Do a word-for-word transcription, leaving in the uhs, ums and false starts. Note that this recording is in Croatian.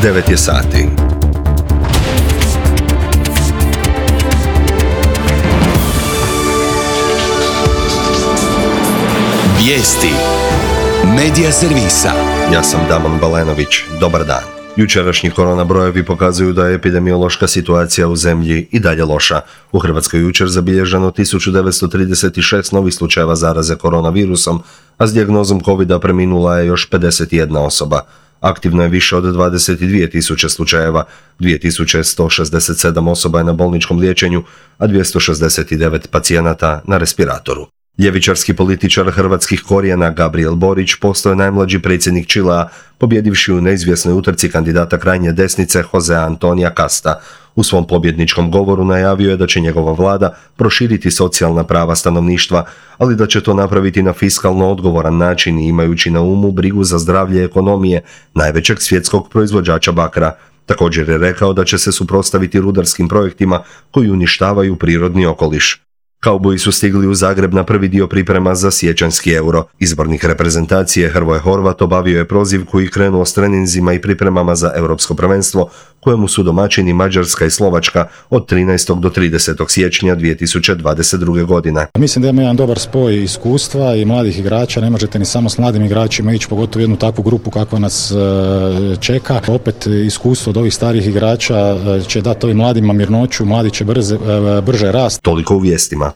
devet je sati. Vijesti Medija servisa. Ja sam Damon Balenović. Dobar dan. Jučerašnji korona brojevi pokazuju da je epidemiološka situacija u zemlji i dalje loša. U Hrvatskoj jučer zabilježeno tisuću devetsto trideset šest novih slučajeva zaraze koronavirusom, a s dijagnozom covida preminula je još pedeset jedna osoba. Aktivno je više od dvadeset dvije tisuće slučajeva, dvije tisuće sto šezdeset sedam osoba je na bolničkom liječenju, a dvjesto šezdeset devet pacijenata na respiratoru. Ljevičarski političar hrvatskih korijena Gabriel Borić postao je najmlađi predsjednik Čilea, pobjedivši u neizvjesnoj utrci kandidata krajnje desnice Josea Antonija Casta. U svom pobjedničkom govoru najavio je da će njegova vlada proširiti socijalna prava stanovništva, ali da će to napraviti na fiskalno odgovoran način i imajući na umu brigu za zdravlje ekonomije najvećeg svjetskog proizvođača bakra. Također je rekao da će se suprotstaviti rudarskim projektima koji uništavaju prirodni okoliš. Kauboji su stigli u Zagreb na prvi dio priprema za siječanjski euro. Izbornik reprezentacije Hrvoje Horvat obavio je prozivku i krenuo s treninzima i pripremama za europsko prvenstvo, kojemu su domaćini Mađarska i Slovačka od trinaestog do tridesetog siječnja dvije tisuće dvadeset druge. godine. Mislim da ima jedan dobar spoj iskustva i mladih igrača. Ne možete ni samo s mladim igračima ići, pogotovo jednu takvu grupu kakva nas čeka. Opet iskustvo od ovih starih igrača će dati ovim mladima mirnoću, mladi će brze, brže rast. Toliko u vijestima.